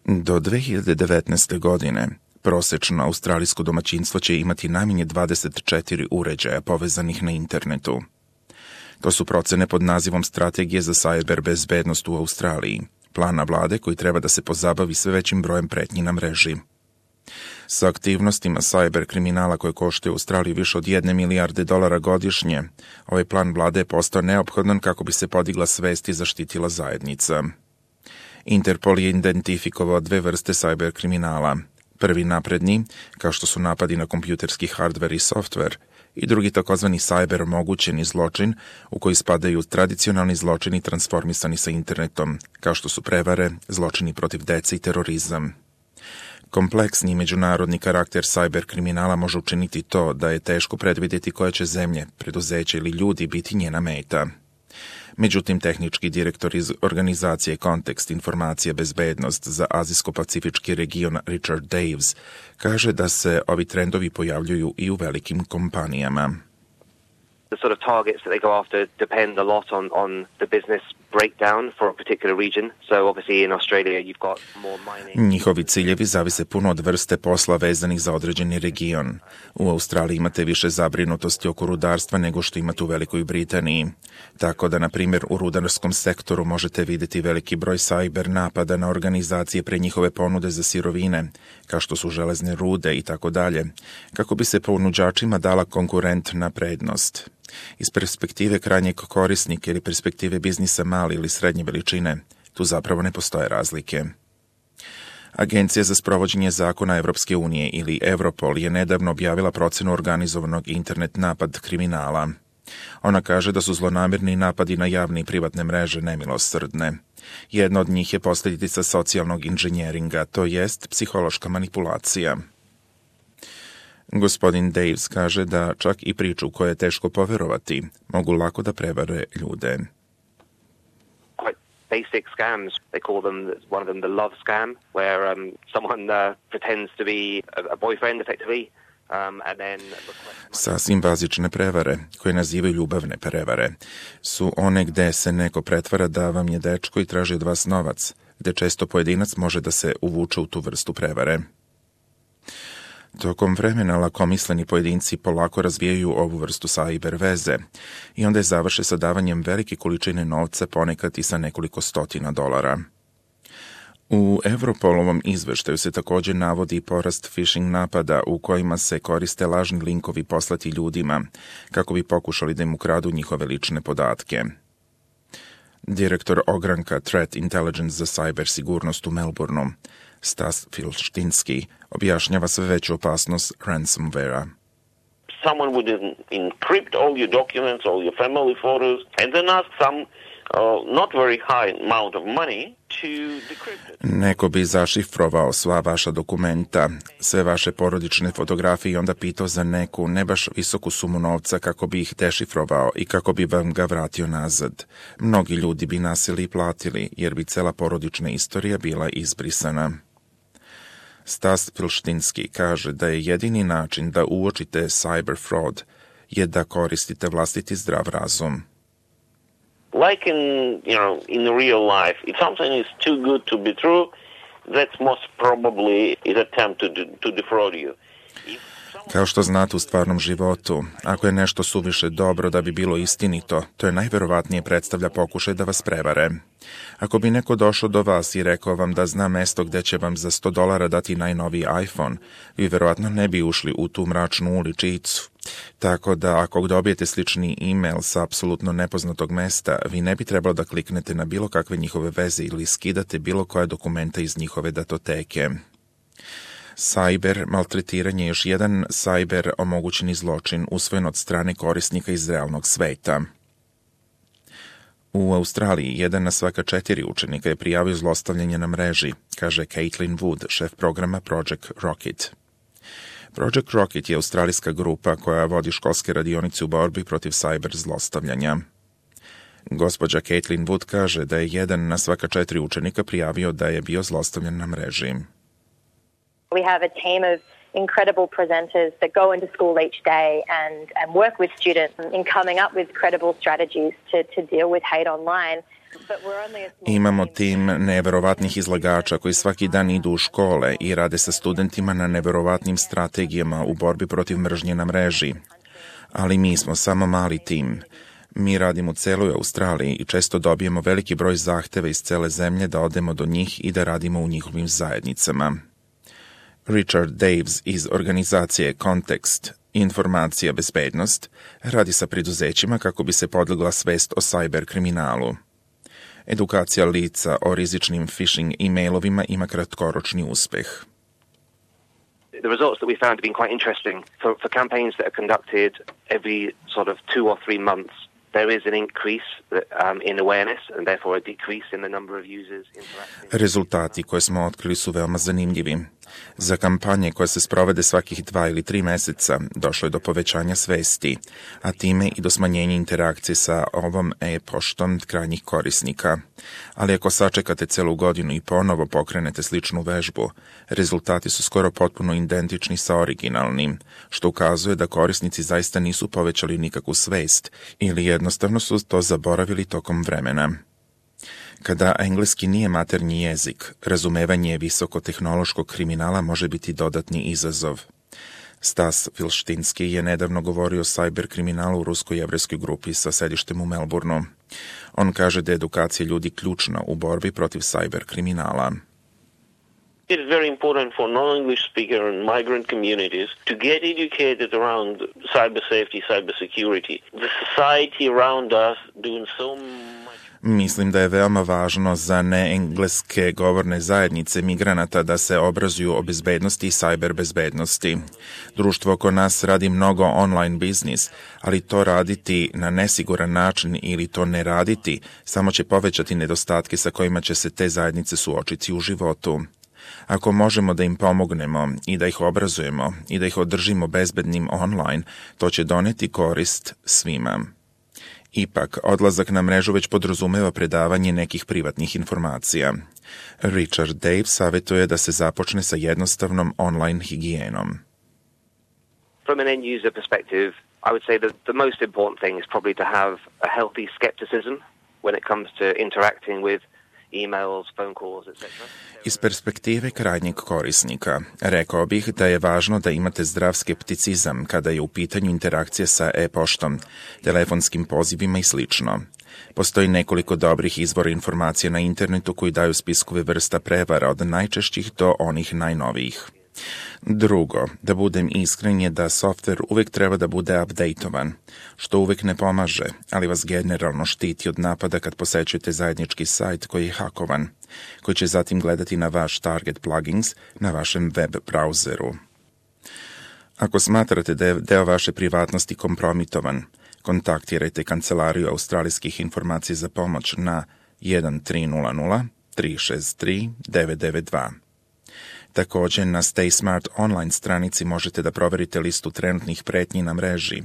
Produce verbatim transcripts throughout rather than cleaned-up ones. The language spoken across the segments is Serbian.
Do dve hiljade devetnaeste. godine prosečno australijsko domaćinstvo će imati najmanje dvadeset četiri uređaja povezanih na internetu. To su procene pod nazivom Strategije za sajber bezbednost u Australiji, plana vlade koji treba da se pozabavi sve većim brojem pretnji na mreži. Sa aktivnostima sajber kriminala koje koštaju Australiju više od jedne milijarde dolara godišnje, ovaj plan vlade je postao neophodan kako bi se podigla svest i zaštitila zajednica. Interpol je identifikovao dve vrste sajber kriminala. Prvi napredni, kao što su napadi na kompjuterski hardver i softver, i drugi takozvani sajber omogućeni zločin, u koji spadaju tradicionalni zločini transformisani sa internetom, kao što su prevare, zločini protiv dece i terorizam. Kompleksni međunarodni karakter sajber kriminala može učiniti to da je teško predvidjeti koje će zemlje, preduzeće ili ljudi biti njena meta. Međutim, tehnički direktor iz organizacije Kontekst informacija bezbednost za Azijsko-Pacifički region Richard Daves kaže da se ovi trendovi pojavljuju i u velikim kompanijama. The sort of targets that they go after depend a lot on, on the business breakdown for a particular region. So obviously in Australia you've got more mining. Njihovi ciljevi zavise puno od vrste posla vezanih za određeni region. U Australiji imate više zabrinutosti oko rudarstva nego što imate u Velikoj Britaniji. Tako da, na primjer, u rudarskom sektoru možete vidjeti veliki broj sajber napada na organizacije pre njihove ponude za sirovine, kao što su železne rude i tako dalje, kako bi se ponuđačima dala konkurentna prednost. Iz perspektive krajnjeg korisnika ili perspektive biznisa male ili srednje veličine, tu zapravo ne postoje razlike. Agencija za sprovođenje zakona Evropske unije ili Europol je nedavno objavila procenu organizovanog internet napad kriminala. Ona kaže da su zlonamirni napadi na javne i privatne mreže nemilosrdne. Jedna od njih je posljedica socijalnog inženjeringa, to jest psihološka manipulacija. Gospodin Daves kaže da čak i priču koje je teško poverovati mogu lako da prevare ljude. Quite basic scams. They call them, one of them the love scam, where um, someone uh, pretends to be a, a boyfriend effectively. Um, and then Sasvim bazične prevare, koje nazivaju ljubavne prevare, su one gde se neko pretvara da vam je dečko i traži od vas novac, gde često pojedinac može da se uvuče u tu vrstu prevare. Tokom vremena lakomisleni pojedinci polako razvijaju ovu vrstu sajber veze i onda je završe sa davanjem velike količine novca, ponekad i sa nekoliko stotina dolara. U Europolovom izveštaju se također navodi porast phishing napada u kojima se koriste lažni linkovi poslati ljudima kako bi pokušali da im ukradu njihove lične podatke. Direktor ogranka Threat Intelligence za cyber sigurnost u Melbourneu, Stas Filštinski, objašnjava sve veću opasnost ransomware-a. Someone would encrypt all your documents, all your family photos, and then ask some uh, not very high amount of money to decrypt it. Neko bi zašifrovao sva vaša dokumenta, sve vaše porodične fotografije i onda pitao za neku ne baš visoku sumu novca kako bi ih dešifrovao i kako bi vam ga vratio nazad. Mnogi ljudi bi nasili i platili, jer bi cela porodična istorija bila izbrisana. Stas Filštinski kaže da je jedini način da uočite cyber fraud je da koristite vlastiti zdrav razum. Like in, you know, in real life, if something is too good to be true, that's most probably an attempt to, to defraud you. Kao što znate u stvarnom životu, ako je nešto suviše dobro da bi bilo istinito, to je najverovatnije predstavlja pokušaj da vas prevare. Ako bi neko došao do vas i rekao vam da zna mesto gde će vam za sto dolara dati najnoviji iPhone, vi verovatno ne bi ušli u tu mračnu uličicu. Tako da ako dobijete slični e-mail sa apsolutno nepoznatog mesta, vi ne bi trebalo da kliknete na bilo kakve njihove veze ili skidate bilo koje dokumenta iz njihove datoteke. Sajber maltretiranje je još jedan sajber omogućeni zločin usvojen od strane korisnika iz realnog sveta. U Australiji jedan na svaka četiri učenika je prijavio zlostavljanje na mreži, kaže Caitlin Wood, šef programa Project Rocket. Project Rocket je australijska grupa koja vodi školske radionice u borbi protiv sajber zlostavljanja. Gospođa Caitlin Wood kaže da je jedan na svaka četiri učenika prijavio da je bio zlostavljan na mreži. We have a team of incredible presenters that go into school each day and, and work with students in coming up with credible strategies to, to deal with hate online. Imamo tim neverovatnih izlagača koji svaki dan idu u škole i rade sa studentima na neverovatnim strategijama u borbi protiv mržnje na mreži. Ali mi smo samo mali tim. Mi radimo u celoj Australiji i često dobijemo veliki broj zahteva iz cele zemlje da odemo do njih i da radimo u njihovim zajednicama. Richard Daves iz organizacije Context, informacija bezbednost, radi sa preduzećima kako bi se podigla svest o sajber kriminalu. Edukacija lica o rizičnim phishing e-mailovima ima kratkoročni uspeh. The results that we found have been quite interesting. For, for campaigns that are conducted every sort of two or three months, there is an increase um, in awareness and therefore a decrease in the number of users interacting. Rezultati koje smo otkrili su veoma zanimljivi. Za kampanje koje se sprovede svakih dva ili tri meseca došlo je do povećanja svesti, a time i do smanjenja interakcije sa ovom e-poštom krajnjih korisnika. Ali ako sačekate celu godinu i ponovo pokrenete sličnu vežbu, rezultati su skoro potpuno identični sa originalnim, što ukazuje da korisnici zaista nisu povećali nikakvu svest ili jednostavno su to zaboravili tokom vremena. Kada engleski nije maternji jezik, razumevanje visokotehnološkog kriminala može biti dodatni izazov. Stas Vilštinski je nedavno govorio o sajber kriminalu u rusko-jevrejskoj grupi sa sedištem u Melbourneu. On kaže da je edukacija ljudi ključna u borbi protiv sajber kriminala. It is very important for non-English speaker and migrant communities to get educated around cyber safety, cyber security. The society around us doing so much. Mislim da je veoma važno za neengleske govorne zajednice migranata da se obrazuju o bezbednosti i sajber bezbednosti. Društvo oko nas radi mnogo online biznis, ali to raditi na nesiguran način ili to ne raditi samo će povećati nedostatke sa kojima će se te zajednice suočiti u životu. Ako možemo da im pomognemo i da ih obrazujemo i da ih održimo bezbednim online, to će doneti korist svima. Ipak, odlazak na mrežu već podrazumeva predavanje nekih privatnih informacija. Richard Dave savjetuje da se započne sa jednostavnom online higijenom. From an end-user perspective, I would say that the most important thing is probably to have a healthy skepticism when it comes to interacting with emails, phone calls, et cetera. Iz perspektive krajnjeg korisnika, rekao bih da je važno da imate zdrav skepticizam kada je u pitanju interakcija sa e-poštom, telefonskim pozivima i slično. Postoji nekoliko dobrih izvora informacija na internetu koji daju spiskove vrsta prevara od najčešćih do onih najnovijih. Drugo, da budem iskren je da softver uvek treba da bude updateovan, što uvek ne pomaže, ali vas generalno štiti od napada kad posećujete zajednički sajt koji je hakovan, koji će zatim gledati na vaš target plugins na vašem web brauzeru. Ako smatrate da je deo vaše privatnosti kompromitovan, kontaktirajte Kancelariju australijskih informacija za pomoć na jedan tri nula nula tri šest tri devet devet dva. Također, na Stay Smart online stranici možete da proverite listu trenutnih pretnji na mreži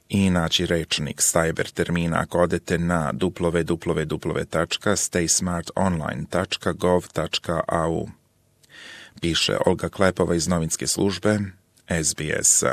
i naći rečnik cyber termina ako odete na w w w tačka stay smart online tačka gov tačka a u. Piše Olga Klepova iz novinske službe S B S.